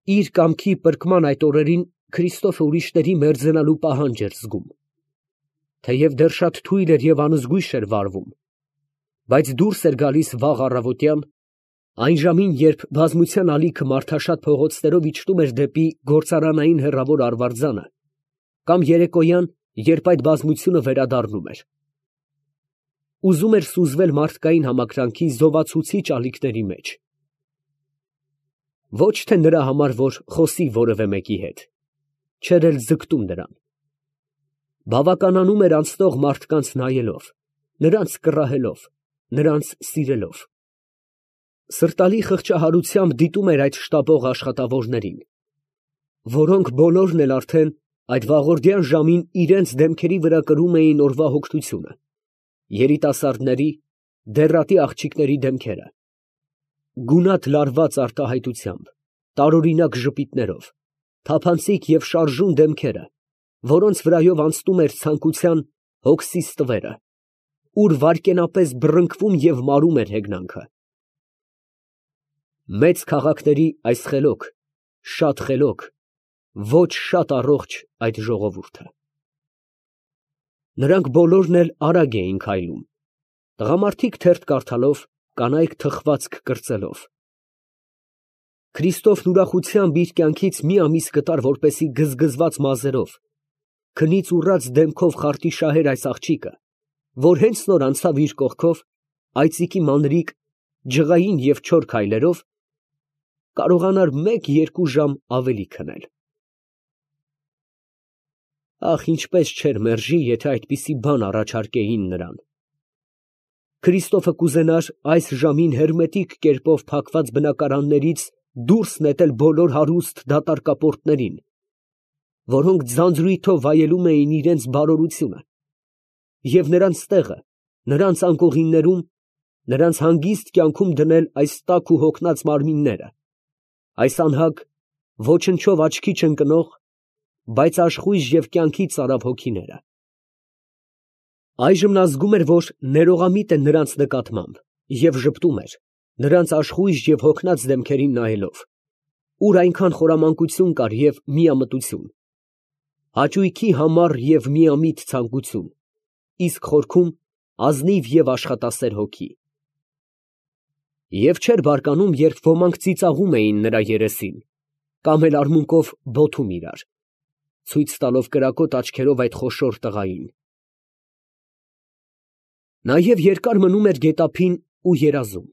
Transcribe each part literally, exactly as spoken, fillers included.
Իր կամքի պրկման այդ օրերին Քրիստոֆը ուրիշների մերձենալու պահանջ էր զգում. թեև դեռ շատ թույլ էր և անզգույշ էր վարվում, բայց դուրս էր գալիս վաղ առավոտյան, այն ժամին, երբ բազմության ալիքը մարդաշատ փողոցներով իջնում էր դեպի գործարանային հեռավոր արվարձանը, կամ երեկոյան, երբ այդ բազմությունը վերադառնում էր. ուզում էր սուզվել մարդկային համակրանքի զովացուցիչ ալիքների մեջ, ոչ թե նրա համար, որ խոսի որևէ մեկի հետ, չէր էլ ձգտում նրան, բավականանում էր անցնող մարդկանց նայելով, նրանց կռահելով, նրանց սիրելով, սրտալի խղճահարությամբ դիտում էր այդ շտապող աշխատավորներին, որոնք բոլորն էլ արդեն այդ վաղորդյան ժամին իրենց դեմքերի վրա կրում էին օրվա հոգնությունը, երիտասարդների, դեռատի աղջիկների դեմքերը, գունատ լարված արտահայտությամբ, տարօրինակ ժպիտներով, թափանցիկ և շարժուն դեմքերը, որոնց վրայով անցնում էր ցանկության հոգսիս տվերը, ուր վայրկենապես բռնկվում և մարում էր հեգնանքը։ Մեծ քաղաքների այս խելոք, շատ խելոք, ոչ շատ առողջ այդ ժողովուրդը։ Նրանք բոլորն էլ արագ էին քայլում, տղամարդիկ թերթ կարդալով, կանայք թխվածք կրծելով։ Քրիստոֆն ուրախությամբ իր կյանքից մի ամիս կտար, որպեսզի գզգզված մազերով, քնից ուռած դեմքով խարտի շահեր այս աղջիկը, որ հենց նոր անցավ իր կողքով, այծիկի մանրիկ, ջղային և չոր քայլերով, կարողանար մեկ֊երկու ժամ ավելի քնել։ Ախ, ինչպես չէր մերժի, եթե այդպիսի բան առաջարկեին նրան։ Քրիստոֆը կուզենար այս ժամին հերմետիկ կերպով փակված բնակարաններից դուրս նետել բոլոր հարուստ դատարկապորտներին, որոնք ձանձրույթով վայելում էին իրենց բարօրությունը, և նրանց տեղը, նրանց անկողիններում, նրանց հանգիստ կյանքում դնել այս տաք ու հոգնած մարմինները, այս անհագ, ոչնչով աչքի չընկնող, բայց աշխույժ և կյանքի ծարավ հոգիները։ Այժմ նա զգում էր, որ ներողամիտ է նրանց նկատմամբ և ժպտում էր, նրանց աշխույժ և հոգնած դեմքերին նայելով, ուր այնքան խորամանկություն կար և միամտություն, հաճույքի համառ և միամիտ ցանկություն, իսկ խորքում ազնիվ և աշխատասեր հոգի։ Եվ չէր բարկանում, երբ ոմանք ծիծաղում էին նրա երեսին, կամ էլ արմունկով բոթում իրար, ցույց տալով կրակոտ աչքերով այդ խոշոր տղային։ Նաև երկար մնում էր գետափին ու երազում.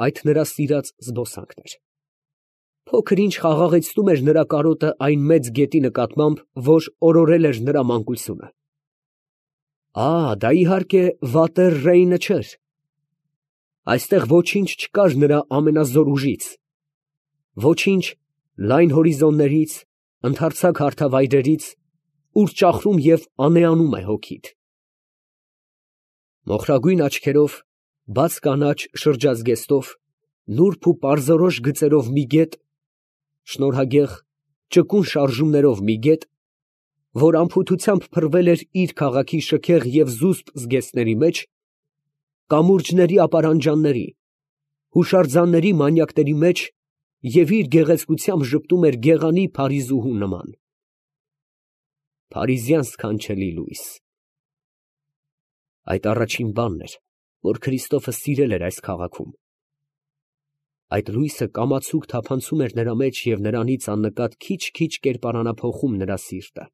այդ նրա սիրած զբոսանքն էր։ Փոքր ինչ խաղաղեցնում էր նրա կարոտը այն մեծ գետի նկատմամբ, որ օրորել էր նրա մանկությունը։ Ա, դա իհարկե վատեր Ռեյնը չէր։ Այստեղ ոչինչ չկար նրա ամենազոր ուժից, ոչինչ լայն հորիզոններից, ընդարձակ հարթավայրերից, ուր ճախրում և անեանում է հոգիդ։ Մոխրագույն աչքերով, բաց կանաչ շրջազգեստով, նուրբ ու պարզորոշ գծերով մի գետ, շնորհագեղ, ճկուն շարժումներով մի գետ, որ անփութությամբ փռվել էր իր քաղաքի շքեղ և զուսպ զգեստների մեջ, կամուրջների ապարանջանների, հուշարձանների մանյակների մեջ և իր գեղեցկությամբ ժպտում էր գեղանի փարիզուհու նման։ Փարիզյան սքանչելի լույս… Այդ առաջին բանն էր, որ Քրիստոֆը սիրել էր այս քաղաքում։ Այդ լույսը կամացուկ թափանցում էր նրա մեջ և նրանից աննկատ քիչ֊քիչ կերպարանափոխում նրա սիրտը։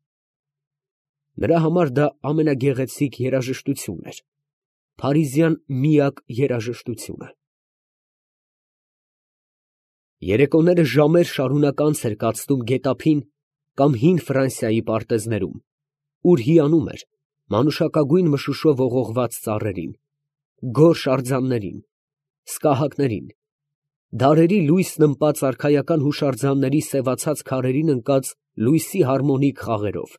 Նրա համար դա ամենագեղեցիկ երաժշտությունն էր, փարիզյան միակ երաժշտությունը։ Երեկոները ժամեր շարունակ անց էր կացնում գետափին կամ հին Ֆրանսիայի պարտեզներում, ուր հիանում էր մանուշակագույն մշուշով ողողված ծառերին, գորշ արձաններին, սկահակներին, դարերի լույսն ըմպած արքայական հուշարձանների սևացած քարերին ընկած լույսի հարմոնիկ խաղերով։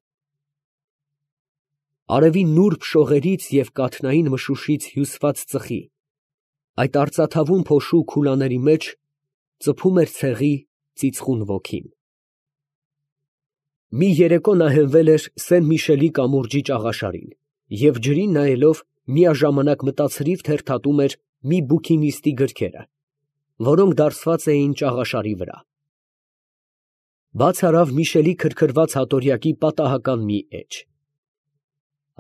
Արևի նուրբ շողերից և կաթնային մշուշից հյուսված ծխի, այդ արծաթավուն փոշու քուլաների մեջ ծփում էր ցեղի ծիծխուն ոգին։ Մի երեկո նա հենվել էր Սեն Միշելի կամուրջի ճաղաշարին և ջրին նայելով միաժամանակ մտացրիվ թերթատում էր մի բուքինիստի գրքերը, որոնք դարսված էին ճաղաշարի վրա։ Բաց արավ Միշելի քրքրված հատորյակի պատահական մի էջ։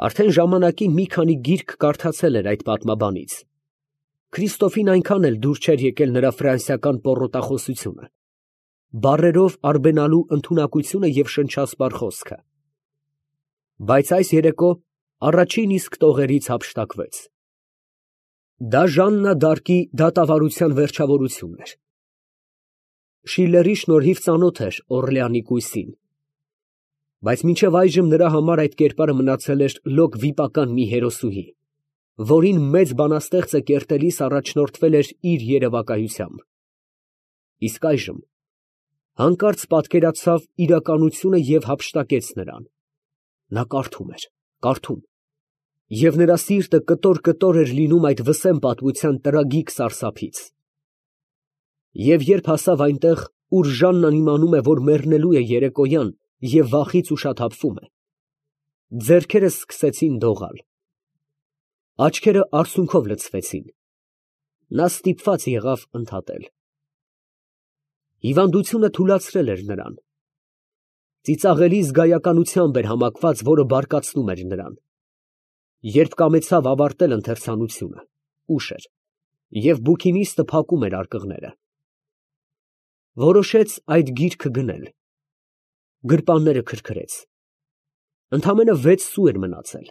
Արդեն ժամանակին մի քանի գիրք կարդացել էր այդ պատմաբանից։ Քրիստոֆին այնքան էլ դուր չէր եկել նրա ֆրանսիական պոռոտախոսությունը, բառերով արբենալու ընդունակությունը և շնչասպառ խոսքը։ Բայց այս երեկո առաջին իսկ տողերից հափշտակվեց։ Դա Ժաննա դ'Արկի դատավարության վերջավորությունն էր։ Շիլլերի շնորհիվ ծանոթ էր Օռլեանի կույսին, բայց մինչև այժմ նրա համար այդ կերպարը մնացել էր լոկ վիպական մի հերոսուհի, որին մեծ բանաստեղծը կերտելիս առաջնորդվել էր իր երևակայությամբ։ Իսկ այժմ հանկարծ պատկերացավ իրականությունը և հափշտակեց նրան։ Նա կարդում էր, կարդում, և նրա սիրտը կտոր֊կտոր էր լինում այդ վսեմ պատմության տրագիկ սարսափից։ Եվ երբ հասավ այնտեղ, ուր Ժաննան իմանում է, որ մեռնելու է երեկոյան և վախից ուշաթափվում է, ձեռքերը սկսեցին դողալ, աչքերը արցունքով լցվեցին, նա ստիպված եղավ ընդհատել։ Հիվանդությունը թուլացրել էր նրան, ծիծաղելի զգայականությամբ էր համակված, որը բարկացնում էր նրան։ Երբ կամեցավ ավարտել ընթերցանությունը, ուշ էր, և բուքինիստը փակում էր արկղները, որոշեց այդ գիրքը գնել, գրպանները քրքրեց, ընդամենը վեց սու էր մնացել։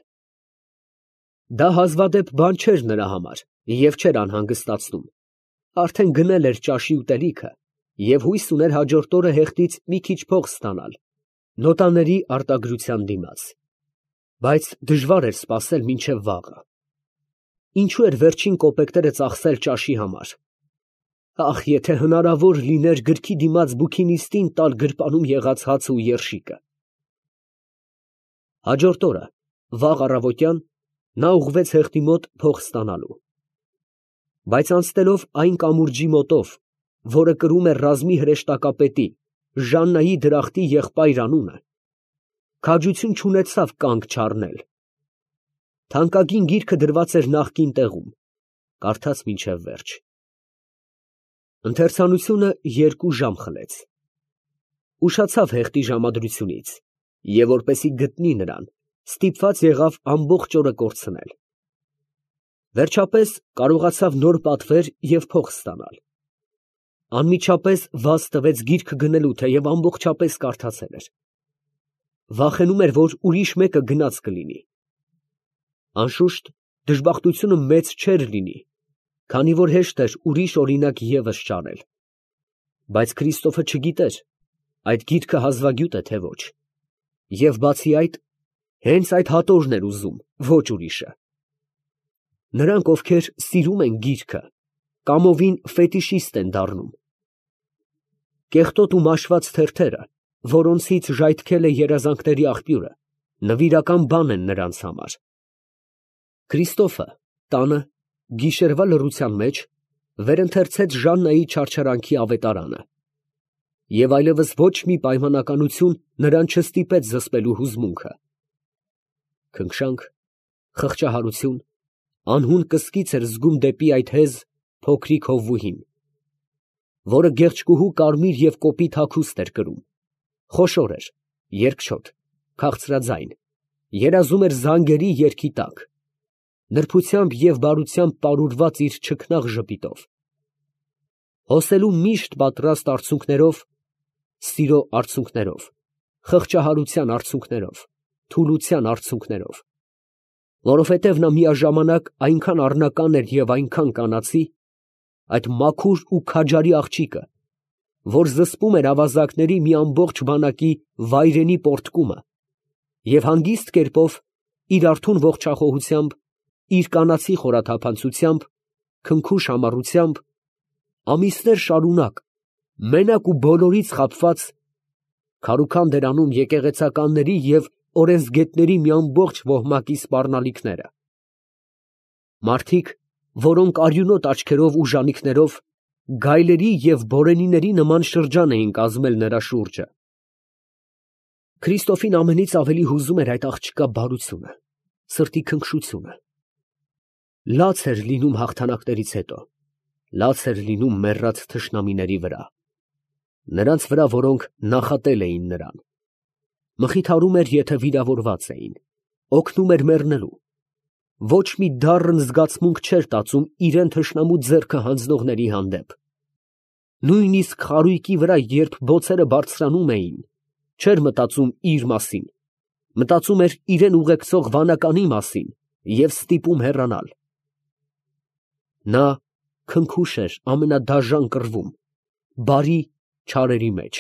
Դա հազվադեպ բան չէր նրա համար և չէր անհանգստացնում, արդեն գնել էր ճաշի ուտելիքը և հույս ուներ հաջորդ օրը հեղտից մի քիչ փող ստանալ նոտաների արտագրության դիմաց, բայց դժվար էր սպասել մինչև վաղը։ Ինչու էր վերջին կոպեկները ծախսել ճաշի համար։ Ախ, եթե հնարավոր լիներ գրքի դիմաց բուքինիստին տալ գրպանում եղած հացը ու երշիկը։ Հաջորդ օրը, վաղ առավոտյան, նա ուղղվեց հեղտի մոտ փող ստանալու, բայց անցնելով այն կամուրջի մոտով, որը կրում էր ռազմի հրեշտակապետի Ժաննայի դրախտի եղբայր անունը, քաջություն չունեցավ կանգ չառնել։ Թանկագին գիրքը դրված էր նախկին տեղում, կարդաց մինչև վերջ։ Ընթերցանությունը երկու ժամ խլեց։ Ուշացավ հեղտի ժամադրությունից և որպեսզի գտնի նրան, ստիպված եղավ ամբողջ օրը կորցնել։ Վերջապես կարողացավ նոր պատվեր և փող ստանալ։ Անմիջապես վազ տվեց գիրքը գնելու, թեև ամբողջապես կարդացել էր։ Վախենում էր, որ ուրիշ մեկը գնած կլինի։ Անշուշտ, դժբախտությունը մեծ չէր լինի, քանի որ հեշտ էր ուրիշ օրինակ ևս ճարել, բայց Քրիստոֆը չգիտեր այդ գիրքը հազվագյուտ է, թե ոչ, և բացի այդ, հենց այդ հատորն էր ուզում, ոչ ուրիշը։ Նրանք, ովքեր սիրում են գիրքը, կամովին ֆետիշիստ են դառնում։ Կեղտոտ ու մաշված թերթերը, որոնցից ժայթքել է երազանքների աղբյուրը, նվիրական բան են նրանց համար։ Քրիստոֆը տանը, գիշերվա լռության մեջ, վերընթերցեց Ժաննայի չարչարանքի ավետարանը, և այլևս ոչ մի պայմանականություն նրան չստիպեց զսպելու հուզմունքը։ Քնքշանք, խղճահարություն, անհուն կսկիծ էր զգում դեպի այդ հեզ, փոքրիկ հովվուհին, որը գեղեցկուհու կարմիր և կոպիտ հագուստ էր կրում, խոշոր էր, երկչոտ, քաղցրաձայն, երազում էր զանգերի երգի տակ, նրբությամբ և բարությամբ պարուրված իր չքնաղ ժպիտով, հոսելու միշտ պատրաստ արցունքներով, սիրո արցունքներով, խղճահարության արցունքներով, թուլության արցունքներով, որովհետև նա միաժամանակ այնքան առնական էր և այնքան կանացի, այդ մաքուր ու քաջարի աղջիկը, որ զսպում էր ավազակների մի ամբողջ բանակի վայրենի պոռթկումը և հանգիստ կերպով, իր արթուն ողջախոհությամբ, իր կանացի խորաթափանցությամբ, քնքուշ համառությամբ, ամիսներ շարունակ, մենակ ու բոլորից խաբված, քարուքանդ էր անում եկեղեցականների և օրենսգետների մի ամբողջ ոհմակի սպառնալիքները։ Մարդիկ, որոնք արյունոտ աչքերով ու ժանիքներով, գայլերի և բորենիների նման շրջան էին կազմել նրա շուրջը։ Քրիստոֆին ամենից ավելի հուզում էր այդ աղջկա բարությունը, սրտի քնքշությունը։ Լաց էր լինում հաղթանակներից հետո, լաց էր լինում մեռած թշնամիների վրա։ նրանց վրա, որոնք նախատել էին նրան, մխիթարում էր, եթե վիրավորված էին, օգնում էր մեռնելու, ոչ մի դառն զգացմունք չէր տածում իրեն թշնամու ձեռքը հանձնողների հանդեպ, նույնիսկ խարույկի վրա, երբ բոցերը բարձրանում էին, չէր մտածում իր մասին, մտածում էր իրեն ուղեկցող վանականի մասին և ստիպում հեռանալ։ Նա քնքուշ էր ամենադաժան կռվում, բարի չարերի մեջ,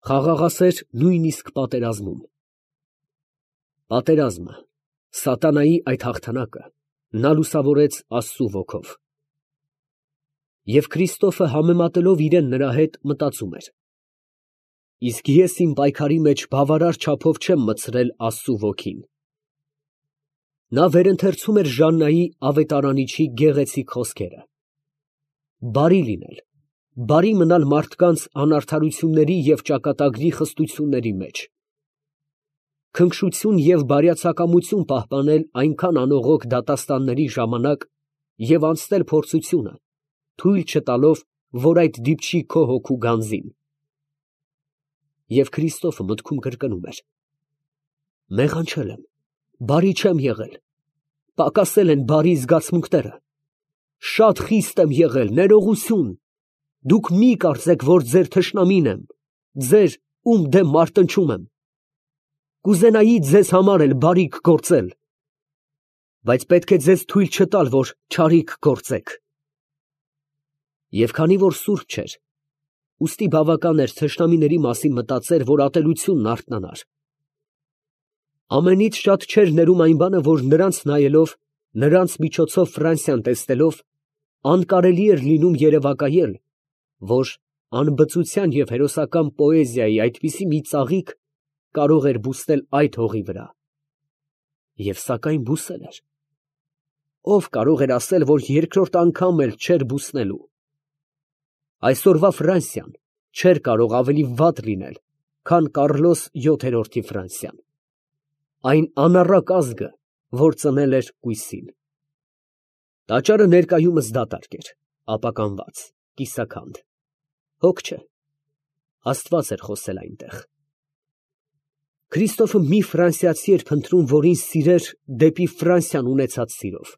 խաղաղասեր նույնիսկ պատերազմում։ Պատերազմը, սատանայի այդ հաղթանակը նա լուսավորեց Աստծու ոգով։ Եվ Քրիստոֆը համեմատելով իրեն նրա հետ մտածում էր. իսկ ես իմ պայքարի մեջ բավարար չափով չեմ մտցրել Աստծու ոգին։ Նա վերընթերցում էր Ժաննայի ավետարանիչի գեղեցիկ խոսքերը. բարի լինել, բարի մնալ մարդկանց անարդարությունների և ճակատագրի խստությունների մեջ, քնքշություն և բարյացակամություն պահպանել այնքան անողոք դատաստանների ժամանակ և անցնել փորձությունը, թույլ չտալով, որ այդ դիպչի քո հոգու գանձին։ Եվ Քրիստոֆը մտքում կրկնում էր. մեղանչել եմ, բարի չեմ եղել, պակասել են բարի զգացմունքները, շատ խիստ եմ եղել, ներողություն, դուք մի կարծեք, որ ձեր թշնամին եմ, ձեր, ում դեմ մարտնչում եմ, կուզենայի ձեզ համար էլ բարիք գործել, բայց պետք է ձեզ թույլ չտալ, որ չարիք գործեք։ Եվ քանի որ սուրբ չէր, ուստի բավական էր թշնամիների մասին մտածեր, որ ատելությունն արթնանար։ Ամենից շատ չէր ներում այն բանը, որ նրանց նայելով, նրանց միջոցով Ֆրանսիան տեսնելով, անկարելի էր լինում երևակայել, որ անբծության և հերոսական պոեզիայի այդպիսի մի ծաղիկ կարող էր բուսնել այդ հողի վրա։ Եվ սակայն բուսել էր։ Ո՞վ կարող էր ասել, որ երկրորդ անգամ էլ չէր բուսնելու։ Այսօրվա Ֆրանսիան չէր կարող ավելի վատ լինել, քան Կառլոս յոթերորդի Ֆրանսիան, այն անառակ ազգը, որ ծնել էր կույսին։ Տաճարը ներկայումս դատարկ էր, ապականված, կիսաքանդ, հոգ չէ, Աստված էր խոսել այնտեղ։ Քրիստոֆը մի ֆրանսիացի էր փնտրում, որին սիրեր դեպի Ֆրանսիան ունեցած սիրով։